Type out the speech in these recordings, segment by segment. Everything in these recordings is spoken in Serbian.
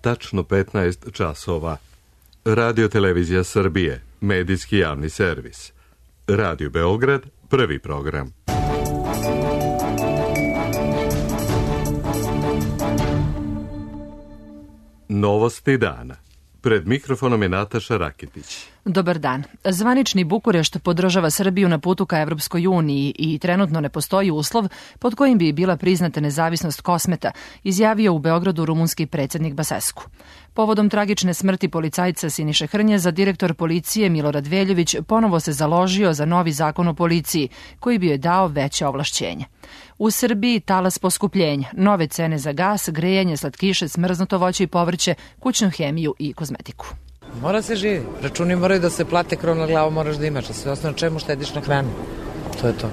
tačno 15 časova. Radio Televizija Srbije, medijski javni servis. Radio Beograd, prvi program. Novosti dana. Pred mikrofonom je Nataša Raketić. Dobar dan. Zvanični Bukurešt podržava Srbiju na putu ka Evropskoj uniji i trenutno ne postoji uslov pod kojim bi bila priznata nezavisnost Kosmeta, izjavio u Beogradu rumunski predsjednik Basescu. Povodom tragične smrti policajca Siniše Hrnjeza, direktor policije Milorad Veljović ponovo se založio za novi zakon o policiji, koji bi joj dao veće ovlašćenje. U Srbiji talas poskupljenja, nove cene za gas, grejanje, slatkiše, smrznuto voće i povrće, kućnu hemiju i kozmetiku. Mora se živi. Računi moraju da se plate, krov na glavu moraš da imaš, a sve osnovno čemu štediš na hranu. To je to.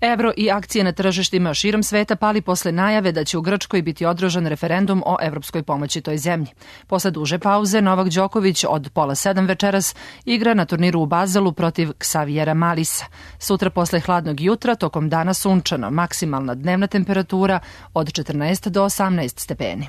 Evro i akcije na tržištima širom sveta pali posle najave da će u Grčkoj biti održan referendum o evropskoj pomoći toj zemlji. Posle duže pauze, Novak Đoković od 6:30 večeras igra na turniru u Bazelu protiv Ksavijera Malisa. Sutra posle hladnog jutra, tokom dana sunčano, maksimalna dnevna temperatura od 14 do 18 stepeni.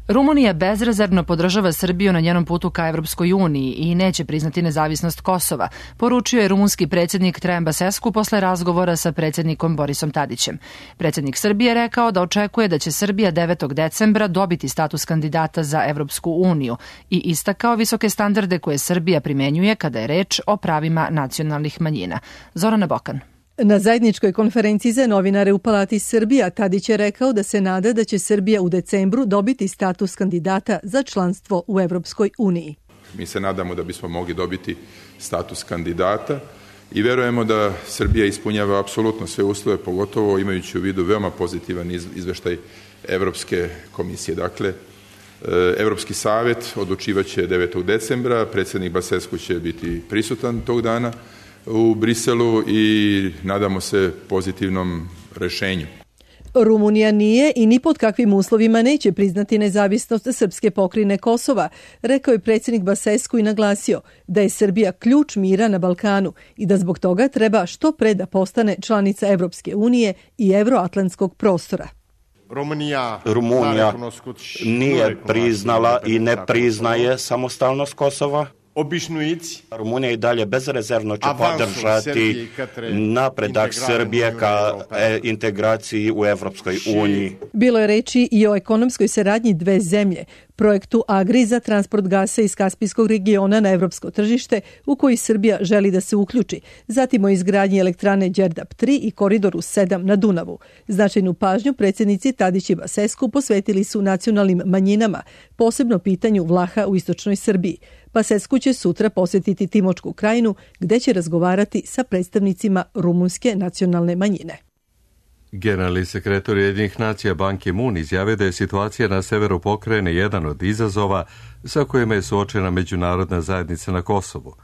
Rumunija bezrezervno podržava Srbiju na njenom putu ka Evropskoj uniji i neće priznati nezavisnost Kosova, poručio je rumunski predsjednik Traian Basescu posle razgovora sa predsjednikom Borisom Tadićem. Predsjednik Srbije rekao da očekuje da će Srbija 9. decembra dobiti status kandidata za Evropsku uniju i istakao visoke standarde koje Srbija primenjuje kada je reč o pravima nacionalnih manjina. Zorana Bokan. Na zajedničkoj konferenciji za novinare u Palati Srbija Tadić je rekao da se nada da će Srbija u decembru dobiti status kandidata za članstvo u Evropskoj uniji. Mi se nadamo da bismo mogli dobiti status kandidata i verujemo da Srbija ispunjava apsolutno sve uslove, pogotovo imajući u vidu veoma pozitivan izveštaj Evropske komisije. Dakle, Evropski savet odlučivaće 9. decembra, predsjednik Basescu će biti prisutan tog dana u Briselu i nadamo se pozitivnom rešenju. Rumunija nije i ni pod kakvim uslovima neće priznati nezavisnost srpske pokrajine Kosova, rekao je predsjednik Basescu i naglasio da je Srbija ključ mira na Balkanu i da zbog toga treba što pre da postane članica Evropske unije i evroatlantskog prostora. Rumunija nije priznala i ne priznaje samostalnost Kosova. Rumunija i dalje bezrezervno će podržati napredak Srbije ka integraciji u Evropskoj uniji. Bilo je reči i o ekonomskoj saradnji dve zemlje, projektu Agri za transport gasa iz Kaspijskog regiona na evropsko tržište u koji Srbija želi da se uključi, zatim o izgradnji elektrane Đerdap 3 i koridoru 7 na Dunavu. Značajnu pažnju predsjednici Tadić i Basescu posvetili su nacionalnim manjinama, posebno pitanju Vlaha u istočnoj Srbiji. Basescu će sutra posjetiti Timočku krajinu gde će razgovarati sa predstavnicima rumunske nacionalne manjine. Generalni sekretar Ujedinjenih nacija Ban Ki-moon izjavio da je situacija na severu pokrajine jedan od izazova sa kojima je suočena međunarodna zajednica na Kosovu.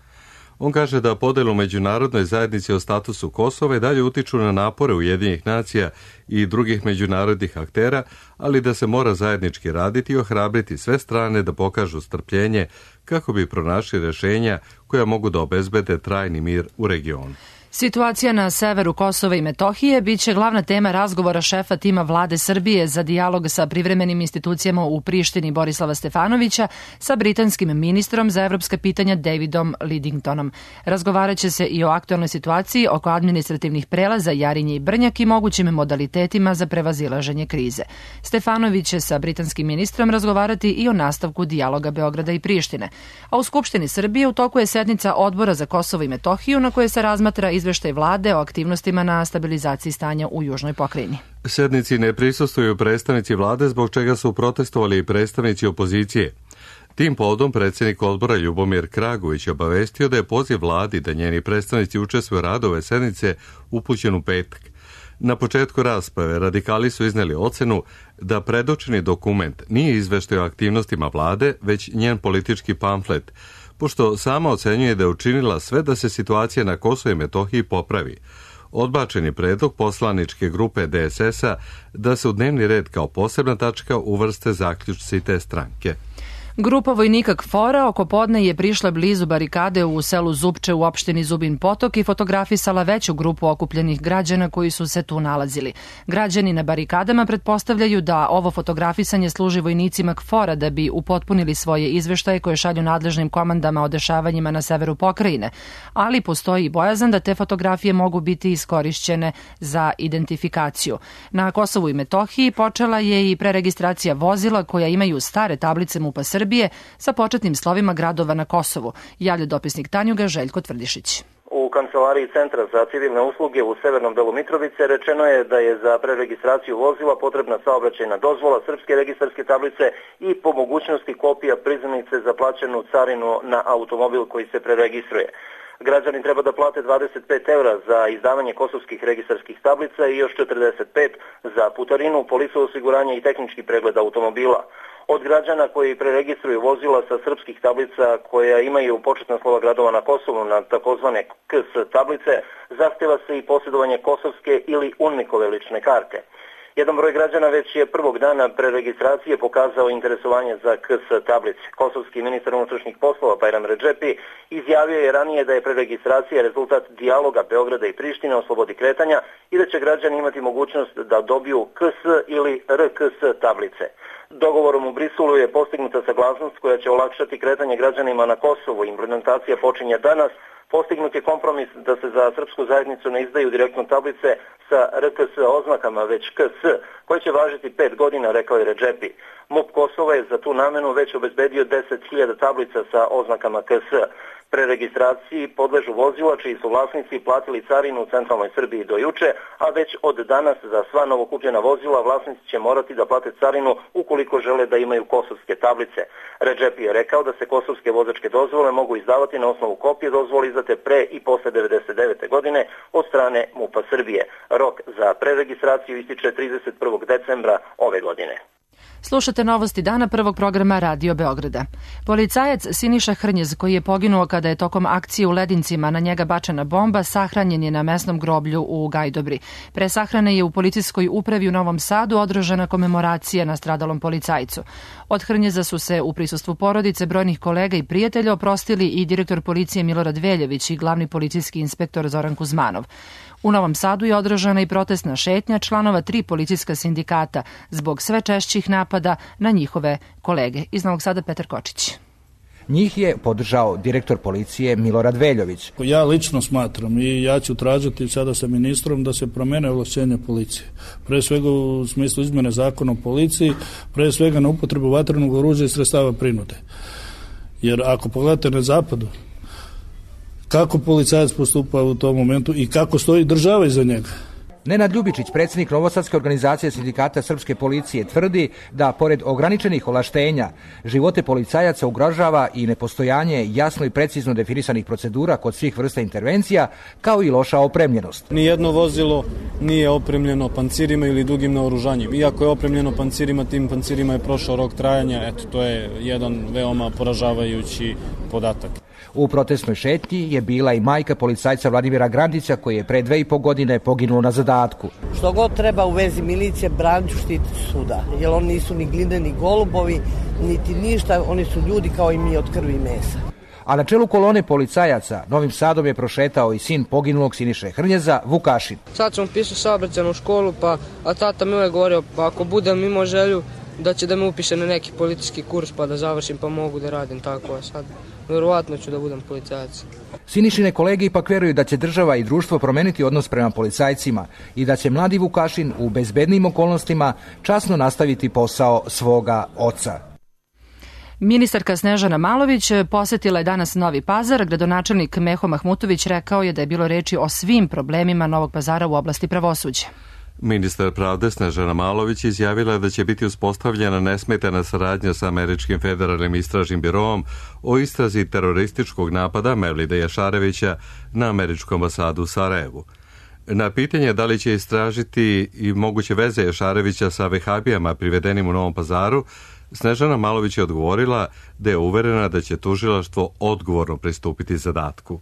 On kaže da podelu u međunarodnoj zajednici o statusu Kosova i dalje utiču na napore Ujedinjenih nacija i drugih međunarodnih aktera, ali da se mora zajednički raditi i ohrabriti sve strane da pokažu strpljenje kako bi pronašli rješenja koja mogu da obezbede trajni mir u regionu. Situacija na severu Kosova i Metohije biće glavna tema razgovora šefa tima vlade Srbije za dijalog sa privremenim institucijama u Prištini Borislava Stefanovića sa britanskim ministrom za evropska pitanja Davidom Lidingtonom. Razgovarat će se i o aktualnoj situaciji oko administrativnih prelaza Jarinje i Brnjak i mogućim modalitetima za prevazilaženje krize. Stefanović će sa britanskim ministrom razgovarati i o nastavku dijaloga Beograda i Prištine. A u Skupštini Srbije u toku je sednica Odbora za Kosovo i Metohiju na kojoj se razmatra izveštaj vlade o aktivnostima na stabilizaciji stanja u južnoj pokrajini. Sednici ne prisustvuju predstavnici vlade, zbog čega su protestovali i predstavnici opozicije. Tim povodom predsjednik odbora Ljubomir Kragović obavestio da je poziv vladi da njeni predstavnici učestvuju radu ove sednice upućen u petak. Na početku rasprave radikali su izneli ocenu da predočeni dokument nije izveštaj o aktivnostima vlade, već njen politički pamflet, pošto sama ocenjuje da je učinila sve da se situacija na Kosovu i Metohiji popravi. Odbačeni predlog poslaničke grupe DSS-a da se u dnevni red kao posebna tačka uvrste zaključci te stranke. Grupa vojnika KFOR-a oko podne je prišla blizu barikade u selu Zupče u opštini Zubin Potok i fotografisala veću grupu okupljenih građana koji su se tu nalazili. Građani na barikadama pretpostavljaju da ovo fotografisanje služi vojnicima KFOR-a da bi upotpunili svoje izveštaje koje šalju nadležnim komandama o dešavanjima na severu pokrajine, ali postoji i bojazan da te fotografije mogu biti iskorišćene za identifikaciju. Na Kosovu i Metohiji počela je i preregistracija vozila koja imaju stare tablice MUP-a Srbije sa početnim slovima gradova na Kosovu, javlja dopisnik Tanjuga Željko Tvrdišić. U kancelariji Centra za civilne usluge u severnom delu Mitrovice rečeno je da je za preregistraciju vozila potrebna saobraćajna dozvola, srpske registarske tablice i po mogućnosti kopija priznanice za plaćenu carinu na automobil koji se preregistruje. Građani treba da plate 25 € za izdavanje kosovskih registarskih tablica i još 45 za putarinu, polisu osiguranja i tehnički pregled automobila. Od građana koji preregistruju vozila sa srpskih tablica koja imaju početna slova gradova na Kosovu na takozvane KS tablice, zahteva se i posjedovanje kosovske ili UNMIK-ove lične karte. Jedan broj građana već je prvog dana preregistracije pokazao interesovanje za KS tablice. Kosovski ministar unutrašnjih poslova Bajram Redžepi izjavio je ranije da je preregistracija rezultat dijaloga Beograda i Prištine o slobodi kretanja i da će građani imati mogućnost da dobiju KS ili RKS tablice. Dogovorom u Briselu je postignuta saglasnost koja će olakšati kretanje građanima na Kosovu. Implementacija počinje danas. Postignut je kompromis da se za srpsku zajednicu ne izdaju direktno tablice sa RKS oznakama, već KS, koje će važiti 5 godina, rekao je Redžepi. MUP Kosova je za tu namenu već obezbedio 10.000 tablica sa oznakama KS. Preregistraciji podležu vozila čiji su vlasnici platili carinu u centralnoj Srbiji do juče, a već od danas za sva novokupljena vozila vlasnici će morati da plate carinu ukoliko žele da imaju kosovske tablice. Redžepi je rekao da se kosovske vozačke dozvole mogu izdavati na osnovu kopije dozvole izdate pre i posle 1999. godine od strane MUP-a Srbije. Rok za preregistraciju ističe 31. decembra ove godine. Slušate novosti dana prvog programa Radio Beograda. Policajac Siniša Hrnjez, koji je poginuo kada je tokom akcije u Ledincima na njega bačena bomba, sahranjen je na mesnom groblju u Gajdobri. Pre sahrane je u policijskoj upravi u Novom Sadu održana komemoracija na stradalom policajcu. Od Hrnjeza su se u prisustvu porodice, brojnih kolega i prijatelja oprostili i direktor policije Milorad Veljević i glavni policijski inspektor Zoran Kuzmanov. U Novom Sadu je održana i protestna šetnja članova 3 policijska sindikata zbog sve češćih napada na njihove kolege. Iz Novog Sada Petar Kočić. Njih je podržao direktor policije Milorad Veljović. Ja lično smatram i ja ću tražiti sada sa ministrom da se promene ovlašćenja policije. Pre svega u smislu izmene zakona o policiji, pre svega na upotrebu vatrenog oružja i sredstava prinude. Jer ako pogledate na zapadu, kako policajac postupa u tom momentu i kako stoji država iza njega. Nenad Ljubičić, predsjednik Novosadske organizacije sindikata srpske policije, tvrdi da pored ograničenih ovlaštenja živote policajaca ugrožava i nepostojanje jasno i precizno definisanih procedura kod svih vrsta intervencija, kao i loša opremljenost. Nijedno vozilo nije opremljeno pancirima ili dugim naoružanjem. Iako je opremljeno pancirima, tim pancirima je prošao rok trajanja. Eto, to je jedan veoma poražavajući podatak. U protestnoj šetnji je bila i majka policajca Vladimira Grandića, koji je pre 2,5 godine poginuo na zadatku. Što god treba u vezi milicije, branit ću štititi suda, jer oni nisu ni gline, ni golubovi, niti ništa, oni su ljudi kao i mi od krvi i mesa. A na čelu kolone policajaca Novim Sadom je prošetao i sin poginulog Siniše Hrnjeza, Vukašin. Sad sam upisao saobraćajnu školu, a tata mi je govorio, pa ako budem imao želju da će da me upiše na neki politički kurs pa da završim pa mogu da radim tako, a sad verovatno ću da budem policajac. Sinišine kolege ipak vjeruju da će država i društvo promeniti odnos prema policajcima i da će mladi Vukašin u bezbednim okolnostima časno nastaviti posao svoga oca. Ministarka Snežana Malović posetila je danas Novi Pazar. Gradonačelnik Meho Mahmutović rekao je da je bilo reči o svim problemima Novog Pazara u oblasti pravosuđa. Ministar pravde Snežana Malović izjavila da će biti uspostavljena nesmetana saradnja sa Američkim federalnim istražnim biroom o istrazi terorističkog napada Mevlida Jašarevića na Američku ambasadu u Sarajevu. Na pitanje da li će istražiti i moguće veze Jašarevića sa vehabijama privedenim u Novom Pazaru, Snežana Malović je odgovorila da je uverena da će tužilaštvo odgovorno pristupiti zadatku.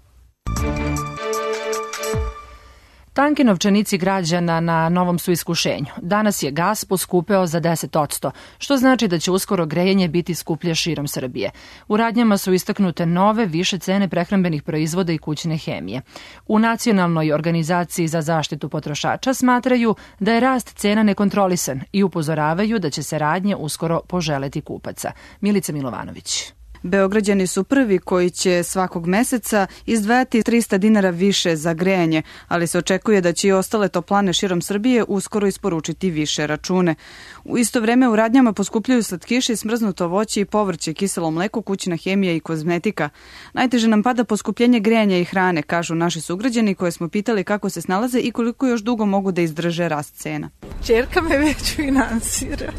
Tanki novčanici građana na novom su iskušenju. Danas je gas poskupeo za 10%, što znači da će uskoro grejanje biti skuplje širom Srbije. U radnjama su istaknute nove, više cene prehrambenih proizvoda i kućne hemije. U Nacionalnoj organizaciji za zaštitu potrošača smatraju da je rast cena nekontrolisan i upozoravaju da će se radnje uskoro poželeti kupaca. Milica Milovanović. Beograđani su prvi koji će svakog meseca izdvajati 300 dinara više za grejanje, ali se očekuje da će i ostale toplane širom Srbije uskoro isporučiti više račune. U isto vreme u radnjama poskupljuju slatkiši, smrznuto voće i povrće, kiselo mleko, kućna hemija i kozmetika. Najteže nam pada poskupljenje grejanja i hrane, kažu naši sugrađani koje smo pitali kako se snalaze i koliko još dugo mogu da izdrže rast cena. Ćerka me već finansira.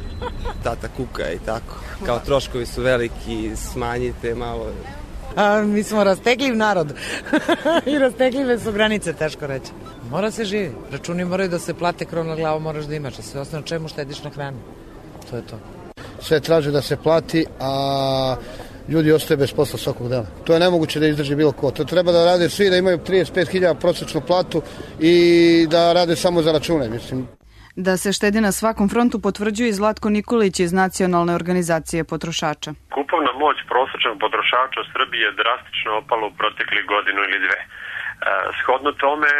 Tata kuka i tako. Kao troškovi su veliki, smanjite malo. Mi smo rastegljiv narod i rastegljive su granice, teško reći. Mora se živi. Računi moraju da se plate, krov na glavu moraš da imaš, a sve osnovno čemu štediš na hranu. To je to. Sve traže da se plati, a ljudi ostaju bez posla svakog dana. To je nemoguće da izdrži bilo ko. To treba da rade svi, da imaju 35.000 prosječnu platu i da rade samo za račune, mislim. Da se štedi na svakom frontu potvrđuje i Zlatko Nikolić iz Nacionalne organizacije potrošača. Kupovna moć prosječnog potrošača u Srbiji je drastično opala u proteklih godinu ili dve. Shodno tome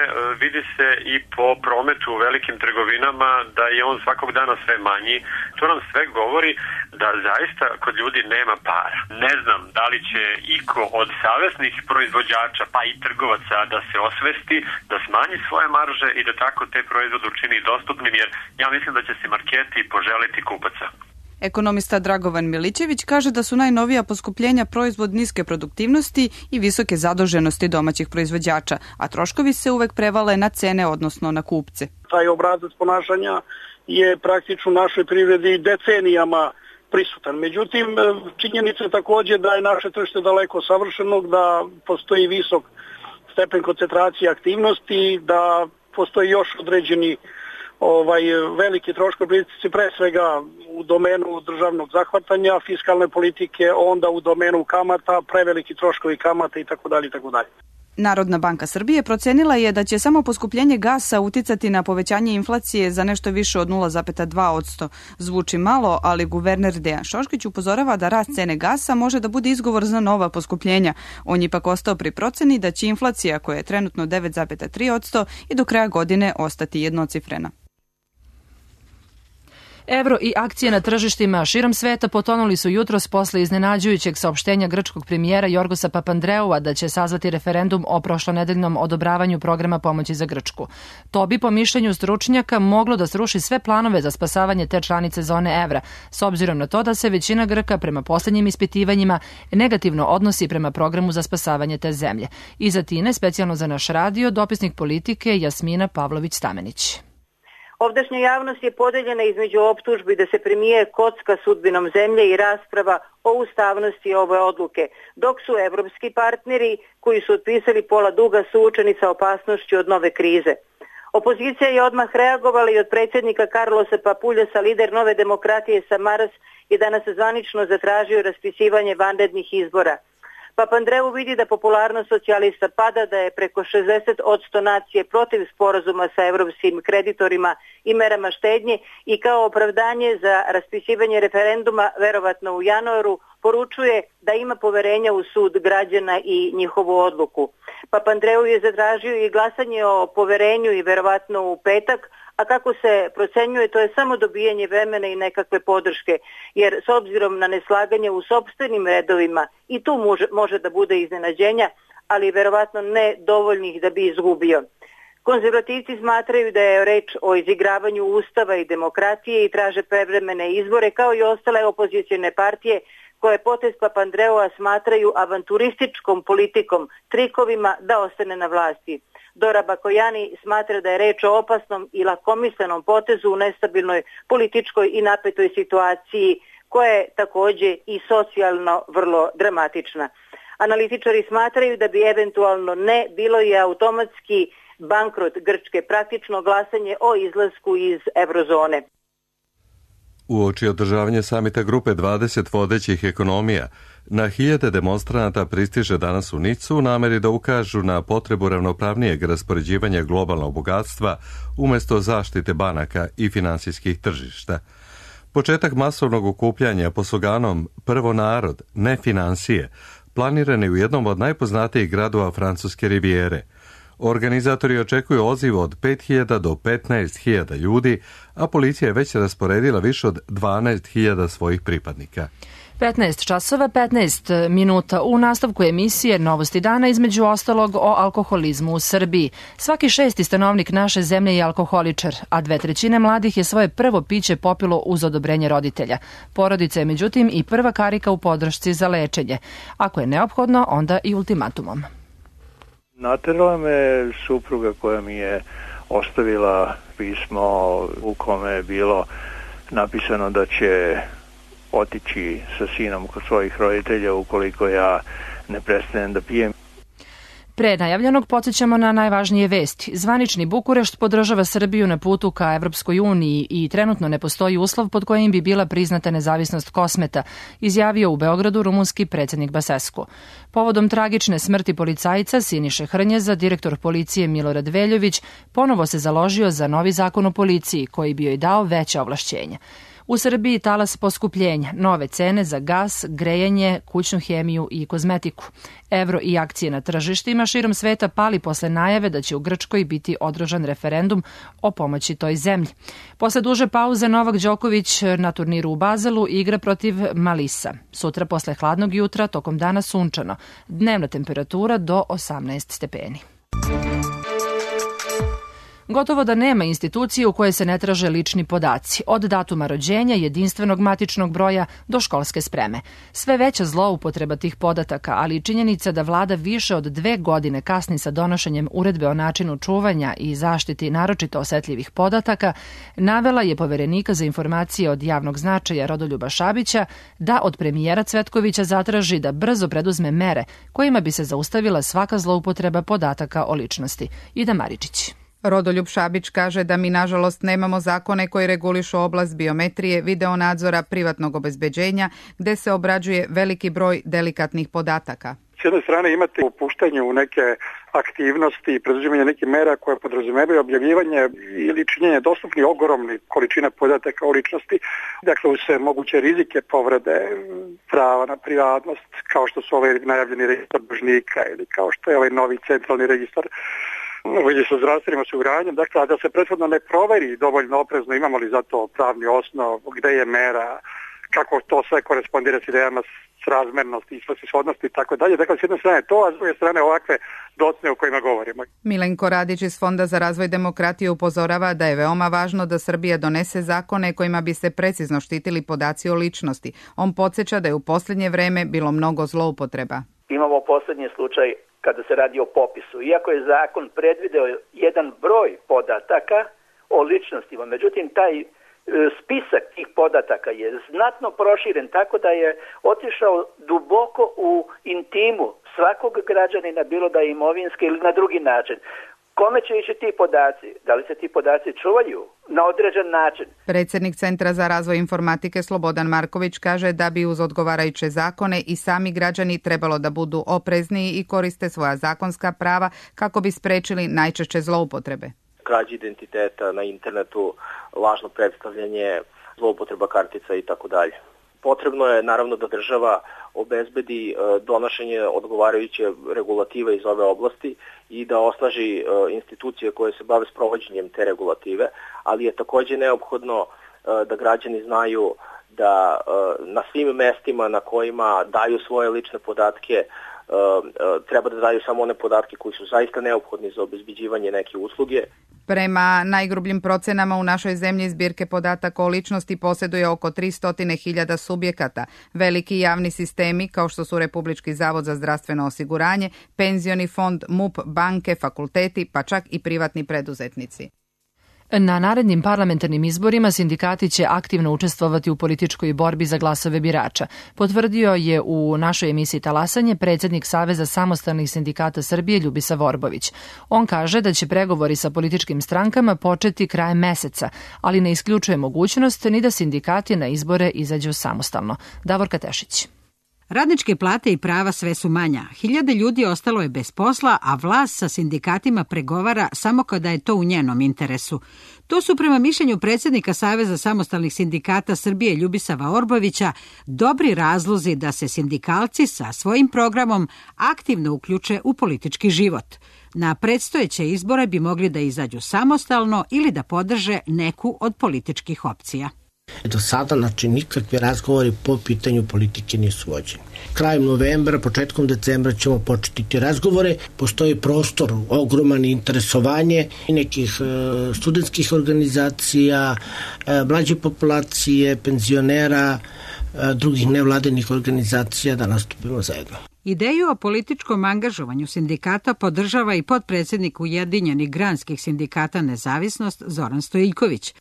vidi se i po prometu u velikim trgovinama da je on svakog dana sve manji. To nam sve govori da zaista kod ljudi nema para. Ne znam da li će iko od savesnih proizvođača pa i trgovaca da se osvesti, da smanji svoje marže i da tako te proizvode učini dostupnim, jer ja mislim da će se marketi poželiti kupaca. Ekonomista Dragovan Milićević kaže da su najnovija poskupljenja proizvod niske produktivnosti i visoke zaduženosti domaćih proizvođača, a troškovi se uvek prevale na cene, odnosno na kupce. Taj obrazac ponašanja je praktično u našoj privredi decenijama prisutan. Međutim, činjenica je također da je naše tržište daleko savršenog, da postoji visok stepen koncentracije aktivnosti, da postoji još određeni veliki troškovi, pre svega u domenu državnog zahvatanja, fiskalne politike, onda u domenu kamata, preveliki troškovi kamata itd. Narodna banka Srbije procenila je da će samo poskupljenje gasa uticati na povećanje inflacije za nešto više od 0,2%. Zvuči malo, ali guverner Dejan Šoškić upozorava da rast cene gasa može da bude izgovor za nova poskupljenja. On je ipak ostao pri proceni da će inflacija, koja je trenutno 9,3%, i do kraja godine ostati jednocifrena. Evro i akcije na tržištima širom sveta potonuli su jutros posle iznenađujućeg saopštenja grčkog premijera Jorgosa Papandreua da će sazvati referendum o prošlonedeljnom odobravanju programa pomoći za Grčku. To bi, po mišljenju stručnjaka, moglo da sruši sve planove za spasavanje te članice zone evra, s obzirom na to da se većina Grka prema poslednjim ispitivanjima negativno odnosi prema programu za spasavanje te zemlje. Iz Atine, specijalno za naš radio, dopisnik Politike Jasmina Pavlović-Stamenić. Ovdašnja javnost je podeljena između optužbi da se premijer kocka sudbinom zemlje i rasprava o ustavnosti ove odluke, dok su evropski partneri koji su otpisali pola duga suočeni sa opasnošću od nove krize. Opozicija je odmah reagovala i od predsjednika Carlosa Papuljasa, lider Nove demokratije Samaras, je danas zvanično zatražio raspisivanje vanrednih izbora. Papandreou vidi da popularnost socijalista pada, da je preko 60% nacije protiv sporazuma sa evropskim kreditorima i merama štednje i kao opravdanje za raspisivanje referenduma, verovatno u januaru, poručuje da ima poverenja u sud građana i njihovu odluku. Papandreou je zatražio i glasanje o poverenju i verovatno u petak, a kako se procenjuje, to je samo dobijanje vremena i nekakve podrške, jer s obzirom na neslaganje u sopstvenim redovima i tu može da bude iznenađenja, ali verovatno ne dovoljnih da bi izgubio. Konzervativci smatraju da je reč o izigravanju ustava i demokratije i traže prevremene izbore, kao i ostale opozicijne partije koje potez Papandreua smatraju avanturističkom politikom, trikovima da ostane na vlasti. Dora Bakojani smatra da je reč o opasnom i lakomislenom potezu u nestabilnoj političkoj i napetoj situaciji koja je također i socijalno vrlo dramatična. Analitičari smatraju da bi eventualno ne bilo i automatski bankrot Grčke, praktično glasanje o izlasku iz eurozone. Uoči održavanja samita grupe 20 vodećih ekonomija, na hiljade demonstranata pristiže danas u Nicu u nameri da ukažu na potrebu ravnopravnijeg raspoređivanja globalnog bogatstva umjesto zaštite banaka i finansijskih tržišta. Početak masovnog okupljanja pod sloganom Prvo narod, ne financije, planiran je u jednom od najpoznatijih gradova francuske rivijere. Organizatori očekuju odziv od 5.000 do 15.000 ljudi, a policija je već rasporedila više od 12.000 svojih pripadnika. 15 časova, 15 minuta u nastavku emisije Novosti dana, između ostalog o alkoholizmu u Srbiji. Svaki 6. stanovnik naše zemlje je alkoholičar, a 2/3 mladih je svoje prvo piće popilo uz odobrenje roditelja. Porodica je međutim i prva karika u podršci za lečenje. Ako je neophodno, onda i ultimatumom. Naterala me supruga koja mi je ostavila pismo u kome je bilo napisano da će otići sa sinom kod svojih roditelja ukoliko ja ne prestanem da pijem. Pre najavljenog podsjećamo na najvažnije vesti. Zvanični Bukurešt podržava Srbiju na putu ka Evropskoj uniji i trenutno ne postoji uslov pod kojim bi bila priznata nezavisnost Kosmeta, izjavio u Beogradu rumunski predsjednik Basescu. Povodom tragične smrti policajca Siniše Hrnjeza, direktor policije Milorad Veljović ponovo se založio za novi zakon o policiji koji bi joj dao veća ovlašćenja. U Srbiji talas poskupljenja, nove cene za gas, grejanje, kućnu hemiju i kozmetiku. Evro i akcije na tržištima širom sveta pali posle najave da će u Grčkoj biti održan referendum o pomoći toj zemlji. Posle duže pauze Novak Đoković na turniru u Bazelu igra protiv Malisa. Sutra posle hladnog jutra, tokom dana sunčano. Dnevna temperatura do 18 stepeni. Gotovo da nema institucije u kojoj se ne traže lični podaci, od datuma rođenja, jedinstvenog matičnog broja do školske spreme. Sve veća zloupotreba tih podataka, ali i činjenica da vlada više od 2 godine kasni sa donošenjem uredbe o načinu čuvanja i zaštiti naročito osetljivih podataka, navela je Poverenika za informacije od javnog značaja Rodoljuba Šabića da od premijera Cvetkovića zatraži da brzo preduzme mere kojima bi se zaustavila svaka zloupotreba podataka o ličnosti. Ida Maričić. Rodoljub Šabić kaže da mi nažalost nemamo zakone koji regulišu oblast biometrije, videonadzora, privatnog obezbeđenja, gde se obrađuje veliki broj delikatnih podataka. S jedne strane imate upuštanje u neke aktivnosti i preduzimanje nekih mera koje podrazumevaju objavljivanje ili činjenje dostupnih ogromnih količina podataka o ličnosti, dakle uz sve moguće rizike povrede prava na privatnost, kao što su ovaj najavljeni registar dužnika ili kao što je ovaj novi centralni registar sa zdravstvenim osiguranjem, dakle, a da se prethodno ne proveri dovoljno oprezno imamo li za to pravni osnov, gde je mera, kako to sve korespondira s idejama srazmernosti i svrsishodnosti i tako dalje. Dakle, s jedne strane to, a s druge strane ovakve docne o kojima govorimo. Milenko Radić iz Fonda za razvoj demokratije upozorava da je veoma važno da Srbija donese zakone kojima bi se precizno štitili podaci o ličnosti. On podsjeća da je u posljednje vreme bilo mnogo zloupotreba. Imamo posljednji slučaj kada se radi o popisu. Iako je zakon predvideo jedan broj podataka o ličnostima, međutim taj spisak tih podataka je znatno proširen tako da je otišao duboko u intimu svakog građanina, bilo da je imovinski ili na drugi način. Kome će ići ti podaci? Da li se ti podaci čuvaju na određen način? Predsjednik Centra za razvoj informatike Slobodan Marković kaže da bi uz odgovarajuće zakone i sami građani trebalo da budu oprezniji i koriste svoja zakonska prava kako bi sprečili najčešće zloupotrebe. Krađa identiteta na internetu, lažno predstavljanje, zloupotreba kartica i tako dalje. Potrebno je naravno da država obezbedi donošenje odgovarajuće regulative iz ove oblasti i da osnaži institucije koje se bave sprovođenjem te regulative, ali je također neophodno da građani znaju da na svim mestima na kojima daju svoje lične podatke treba da daju samo one podatke koji su zaista neophodni za obezbeđivanje neke usluge. Prema najgrubljim procenama u našoj zemlji zbirke podataka o ličnosti posjeduje oko 300.000 subjekata. Veliki javni sistemi kao što su Republički zavod za zdravstveno osiguranje, penzioni fond, MUP, banke, fakulteti, pa čak i privatni preduzetnici. Na narednim parlamentarnim izborima sindikati će aktivno učestvovati u političkoj borbi za glasove birača, potvrdio je u našoj emisiji Talasanje predsjednik Saveza samostalnih sindikata Srbije Ljubisa Vorbović. On kaže da će pregovori sa političkim strankama početi krajem meseca, ali ne isključuje mogućnost ni da sindikati na izbore izađu samostalno. Davorka Tešić. Radničke plate i prava sve su manja. Hiljade ljudi ostalo je bez posla, a vlast sa sindikatima pregovara samo kada je to u njenom interesu. To su prema mišljenju predsjednika Saveza samostalnih sindikata Srbije Ljubisa Vorbovića dobri razlozi da se sindikalci sa svojim programom aktivno uključe u politički život. Na predstojeće izbore bi mogli da izađu samostalno ili da podrže neku od političkih opcija. Do sada, nikakvi razgovori po pitanju politike nisu vođeni. Krajem novembra, početkom decembra ćemo početi ti razgovore. Postoji prostor, ogroman interesovanje nekih studentskih organizacija, mlađe populacije, penzionera, drugih nevladinih organizacija da nastupimo zajedno. Ideju o političkom angažovanju sindikata podržava i potpredsjednik Ujedinjenih granskih sindikata Nezavisnost Zoran Stojiljković.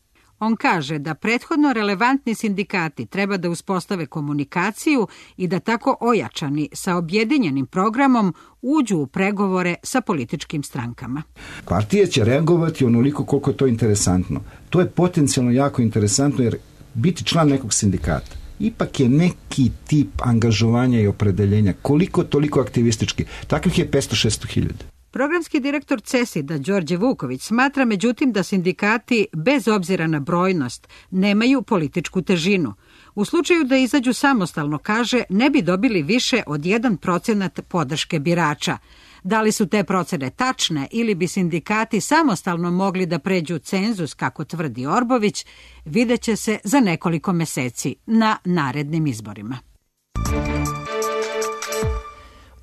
On kaže da prethodno relevantni sindikati treba da uspostave komunikaciju i da tako ojačani sa objedinjenim programom uđu u pregovore sa političkim strankama. Partije će reagovati onoliko koliko je to interesantno. To je potencijalno jako interesantno jer biti član nekog sindikata ipak je neki tip angažovanja i opredeljenja, koliko toliko aktivistički. Takvih je 500-600 hiljada. Programski direktor CESID-a Đorđe Vuković smatra međutim da sindikati, bez obzira na brojnost, nemaju političku težinu. U slučaju da izađu samostalno, kaže, ne bi dobili više od 1% podrške birača. Da li su te procene tačne ili bi sindikati samostalno mogli da pređu cenzus, kako tvrdi Orbović, vidjet će se za nekoliko meseci na narednim izborima.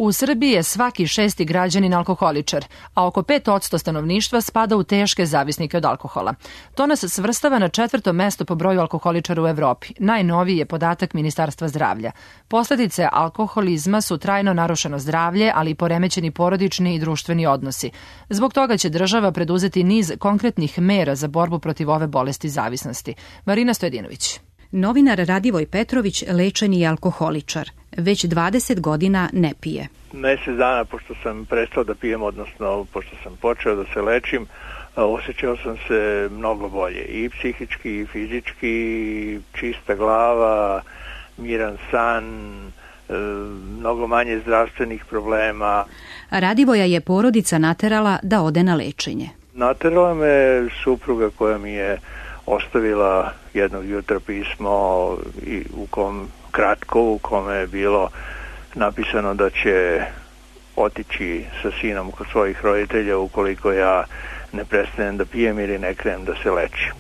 U Srbiji je svaki 6. građanin alkoholičar, a oko 5% stanovništva spada u teške zavisnike od alkohola. To nas svrstava na 4. mesto po broju alkoholičara u Evropi. Najnoviji je podatak Ministarstva zdravlja. Posledice alkoholizma su trajno narušeno zdravlje, ali i poremećeni porodični i društveni odnosi. Zbog toga će država preduzeti niz konkretnih mera za borbu protiv ove bolesti zavisnosti. Marina Stojedinović. Novinar Radivoj Petrović lečeni je alkoholičar. Već 20 godina ne pije. Mesec dana pošto sam prestao da pijem, odnosno pošto sam počeo da se lečim, osjećao sam se mnogo bolje. I psihički, i fizički, čista glava, miran san, mnogo manje zdravstvenih problema. Radivoja je porodica naterala da ode na lečenje. Naterala me supruga koja mi je ostavila jednog jutra pismo u kome je bilo napisano da će otići sa sinom kod svojih roditelja ukoliko ja ne prestanem da pijem ili ne krenem da se lečim.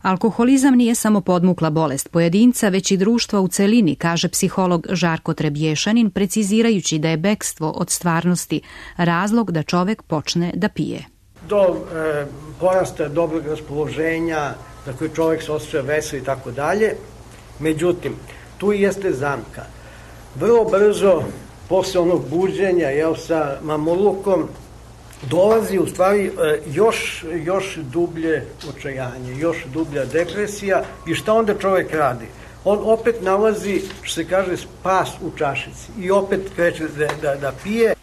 Alkoholizam nije samo podmukla bolest pojedinca, već i društva u celini, kaže psiholog Žarko Trebješanin, precizirajući da je bekstvo od stvarnosti razlog da čovek počne da pije. Do porasta dobrog raspoloženja, za koji čovjek se osjeća vesel i tako dalje. Međutim, tu jeste zamka. Vrlo brzo, posle onog buđenja, sa mamurlukom, dolazi u stvari još dublje očajanje, još dublja depresija i šta onda čovjek radi? On opet nalazi, što se kaže, spas u čašici i opet kreće da pije.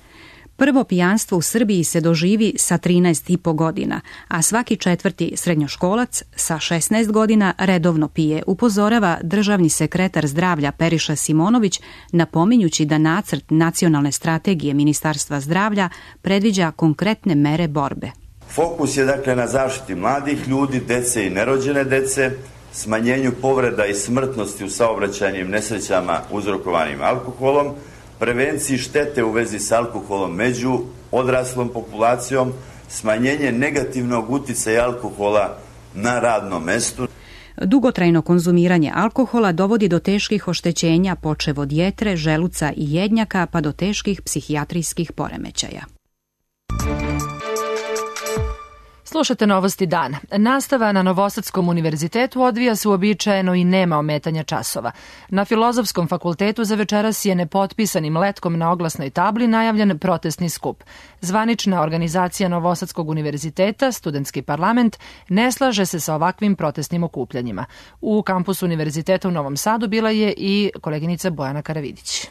Prvo pijanstvo u Srbiji se doživi sa 13,5 godina, a svaki 4. srednjoškolac sa 16 godina redovno pije, upozorava državni sekretar zdravlja Periša Simonović, napominjući da nacrt nacionalne strategije Ministarstva zdravlja predviđa konkretne mere borbe. Fokus je dakle na zaštiti mladih ljudi, dece i nerođene dece, smanjenju povreda i smrtnosti u saobraćajnim nesrećama uzrokovanim alkoholom, prevenciji štete u vezi s alkoholom među odraslom populacijom, smanjenje negativnog uticaja alkohola na radnom mestu. Dugotrajno konzumiranje alkohola dovodi do teških oštećenja počev od jetre, želuca i jednjaka pa do teških psihijatrijskih poremećaja. Slušate Novosti dana. Nastava na Novosadskom univerzitetu odvija se uobičajeno i nema ometanja časova. Na Filozofskom fakultetu za večeras je nepotpisanim letkom na oglasnoj tabli najavljen protestni skup. Zvanična organizacija Novosadskog univerziteta, Studentski parlament, ne slaže se sa ovakvim protestnim okupljanjima. U kampusu univerziteta u Novom Sadu bila je i koleginica Bojana Karavidić.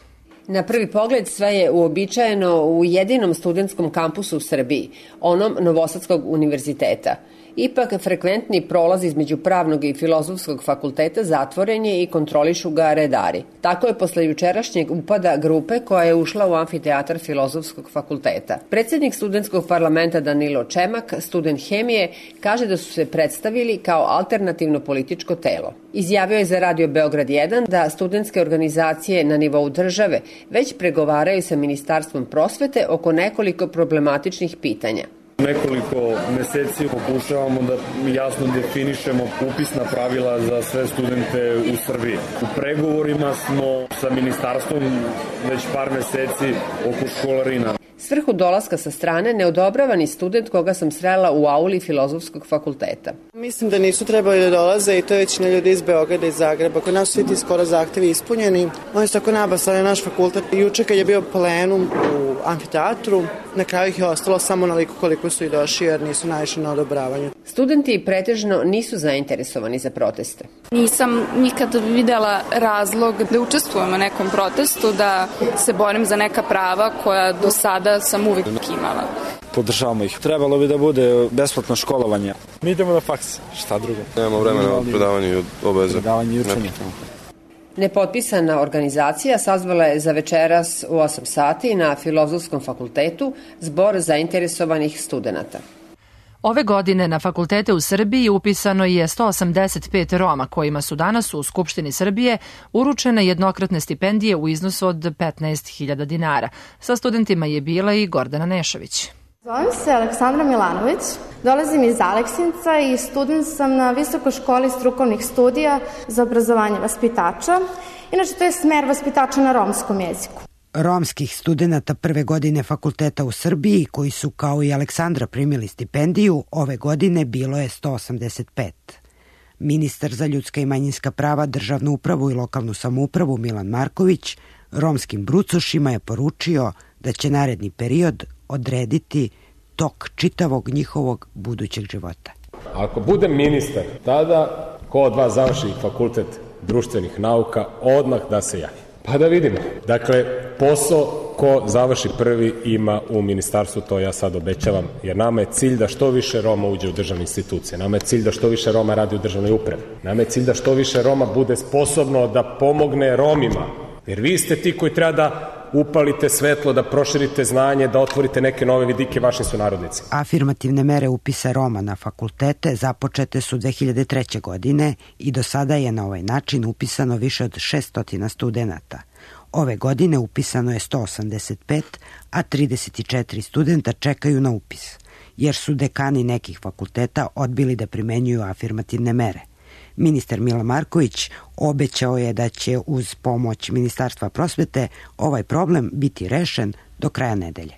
Na prvi pogled sve je uobičajeno u jedinom studentskom kampusu u Srbiji, onom Novosadskog univerziteta. Ipak, frekventni prolaz između Pravnog i Filozofskog fakulteta zatvoren je i kontrolišu ga redari. Tako je posle jučerašnjeg upada grupe koja je ušla u amfiteatar Filozofskog fakulteta. Predsednik studentskog parlamenta Danilo Čemak, student hemije, kaže da su se predstavili kao alternativno političko telo. Izjavio je za Radio Beograd 1 da studentske organizacije na nivou države već pregovaraju sa Ministarstvom prosvete oko nekoliko problematičnih pitanja. Nekoliko meseci pokušavamo da jasno definišemo upisna pravila za sve studente u Srbiji. U pregovorima smo sa ministarstvom već par meseci oko školarina. Svrhu dolaska sa strane ne odobrava ni student koga sam srela u auli Filozofskog fakulteta. Mislim da nisu trebali da dolaze i to je većina ljudi iz Beograda i Zagreba. Kod nas su svi ti skoro zahtevi ispunjeni. Oni su tako nabasali naš fakultet. Juče kad je bio plenum u amfiteatru, na kraju ih je ostalo samo onoliko koliko su i došli jer nisu naišli na odobravanje. Studenti pretežno nisu zainteresovani za proteste. Nisam nikad videla razlog da učestvujem u nekom protestu, da se borim za neka prava koja do sada sam uvijek imala. Podržavamo ih. Trebalo bi da bude besplatno školovanje. Mi idemo na faks, šta drugo. Nemamo vremena od predavanja i obaveza. Predavanje i učenja. Nepotpisana organizacija sazvala je za večeras u 8 sati na Filozofskom fakultetu zbor zainteresovanih studenata. Ove godine na fakultete u Srbiji upisano je 185 Roma kojima su danas u Skupštini Srbije uručene jednokratne stipendije u iznosu od 15.000 dinara. Sa studentima je bila i Gordana Nešović. Zovem se Aleksandra Milanović, dolazim iz Aleksinca i student sam na Visokoj školi strukovnih studija za obrazovanje vaspitača. Inače, to je smer vaspitača na romskom jeziku. Romskih studenata prve godine fakulteta u Srbiji, koji su kao i Aleksandra primili stipendiju, ove godine bilo je 185. Ministar za ljudska i manjinska prava, državnu upravu i lokalnu samoupravu Milan Marković romskim brucošima je poručio da će naredni period odrediti tok čitavog njihovog budućeg života. Ako budem ministar, tada ko od vas završi fakultet društvenih nauka, odmah da se javi. Pa da vidimo. Dakle, posao ko završi prvi ima u ministarstvu, to ja sad obećavam, jer nama je cilj da što više Roma uđe u državne institucije, nama je cilj da što više Roma radi u državnoj upravi, nama je cilj da što više Roma bude sposobno da pomogne Romima, jer vi ste ti koji treba da upalite svetlo, da proširite znanje, da otvorite neke nove vidike vašim sunarodnicima. Afirmativne mere upisa Roma na fakultete započete su 2003. godine i do sada je na ovaj način upisano više od 600 studenata. Ove godine upisano je 185, a 34 studenta čekaju na upis, jer su dekani nekih fakulteta odbili da primenjuju afirmativne mere. Ministar Milan Marković obećao je da će uz pomoć Ministarstva prosvete ovaj problem biti rešen do kraja nedelje.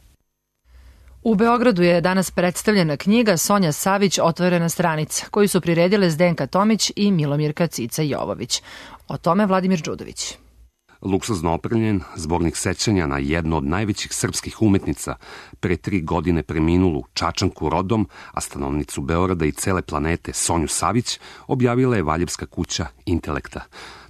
U Beogradu je danas predstavljena knjiga Sonja Savić Otvorena stranica, koju su priredile Zdenka Tomić i Milomirka Cica Jovović. O tome Vladimir Đudović. Luksuzno opremljen zbornik sećanja na jednu od najvećih srpskih umetnica, pre 3 godine preminulu Čačanku rodom, a stanovnicu Beograda i cele planete Sonju Savić, objavila je Valjevska kuća Intelekta.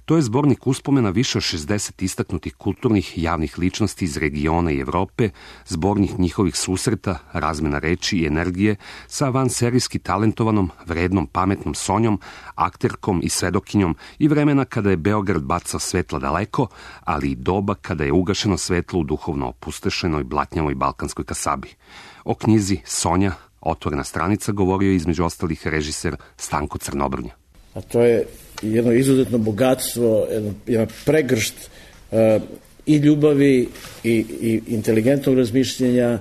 To je zbornik uspomena više od 60 istaknutih kulturnih javnih ličnosti iz regiona i Evrope, zbornik njihovih susreta, razmena reči i energije sa vanserijski talentovanom, vrednom, pametnom Sonjom, akterkom i svedokinjom i vremena kada je Beograd bacao svetla daleko, ali i doba kada je ugašeno svetlo u duhovno opustešenoj, blatnjavoj balkanskoj kasabi. O knjizi Sonja, Otvorena stranica, govorio je između ostalih režiser Stanko Crnobrnja. A to je jedno izuzetno bogatstvo, jedan pregršt i ljubavi i inteligentnog razmišljenja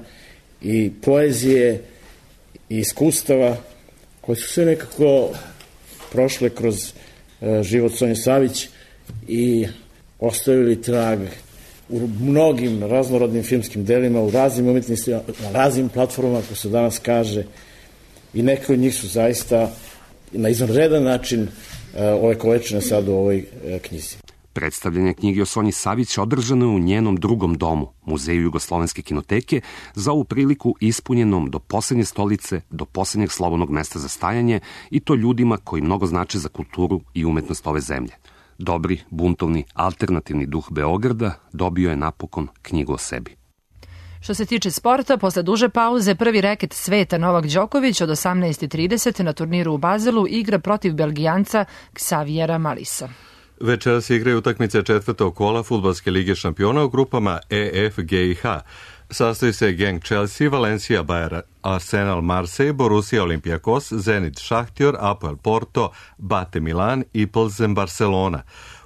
i poezije i iskustava koje su sve nekako prošle kroz život Sonje Savić i ostavili trag u mnogim raznorodnim filmskim delima, u raznim umetnicima, na raznim platformama, ako se danas kaže. i neke od njih su zaista na izvanredan način ovekovečene sad u ovoj knjizi. Predstavljanje knjige o Sonji Savić održano je u njenom drugom domu, Muzeju Jugoslovenske kinoteke, za ovu priliku ispunjenom do poslednje stolice, do poslednjeg slobodnog mesta za stajanje, i to ljudima koji mnogo znače za kulturu i umetnost ove zemlje. Dobri, buntovni, alternativni duh Beograda dobio je napokon knjigu o sebi. Što se tiče sporta, posle duže pauze, prvi reket sveta Novak Đoković od 18:30 na turniru u Bazelu igra protiv Belgijanca Xaviera Malisa. Večeras se igraju utakmice četvrtog kola Fudbalske lige šampiona u grupama E, F, G i H. Sastoji se Genk Chelsea, Valencia Bayer, Arsenal Marseille, Borussia Olympiakos, Zenit Šahtjor, Apoel Porto, Bate Milan i Pilsen Barcelona.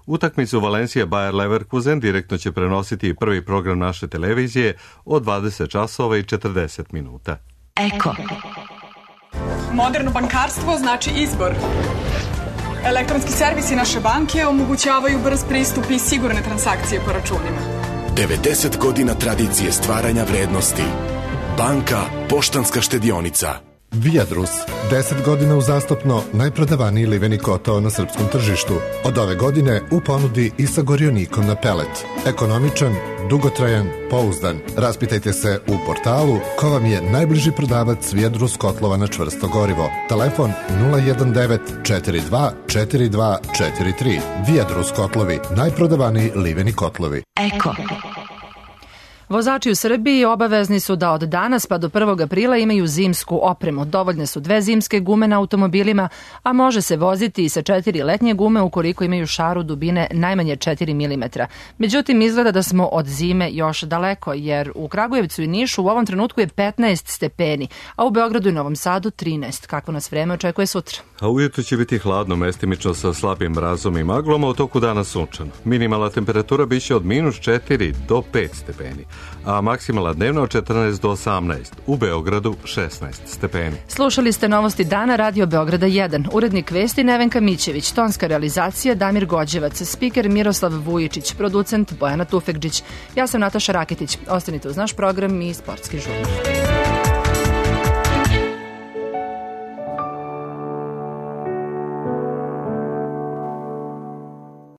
Utakmicu Valencia Bayer Leverkusen direktno će prenositi prvi program naše televizije od 20 časova i 40 minuta. Eko. Moderno bankarstvo znači izbor. Elektronski servisi naše banke omogućavaju brz pristup i sigurne transakcije po računima. 90 godina tradicije stvaranja vrednosti. Banka Poštanska štedionica. Viadrus, 10 godina uzastopno najprodavaniji liveni kotao na srpskom tržištu. Od ove godine u ponudi i sa gorionikom na pelet. Ekonomičan, dugotrajan, pouzdan. Raspitajte se u portalu ko vam je najbliži prodavac Viadrus kotlova na čvrsto gorivo. Telefon 019 42 42 43. Viadrus kotlovi, najprodavaniji liveni kotlovi. Eko. Vozači u Srbiji obavezni su da od danas pa do 1. aprila imaju zimsku opremu. Dovoljne su 2 zimske gume na automobilima, a može se voziti i sa 4 letnje gume ukoliko imaju šaru dubine najmanje 4 mm. Međutim, izgleda da smo od zime još daleko, jer u Kragujevcu i Nišu u ovom trenutku je 15 stepeni, a u Beogradu i Novom Sadu 13. Kakvo nas vreme očekuje sutra? A ujutro će biti hladno, mestimično sa slabim mrazom i maglom, a u toku dana sunčano. Minimalna temperatura biće od -4 do 5 stepeni, a maksimalna dnevna od 14 do 18, u Beogradu 16 stepeni. Slušali ste novosti dana Radio Beograda 1, urednik vesti Nevenka Mićević, tonska realizacija Damir Gođevac, spiker Miroslav Vujičić, producent Bojana Tufekđić. Ja sam Nataša Raketić. Ostanite uz naš program i sportski žurnal.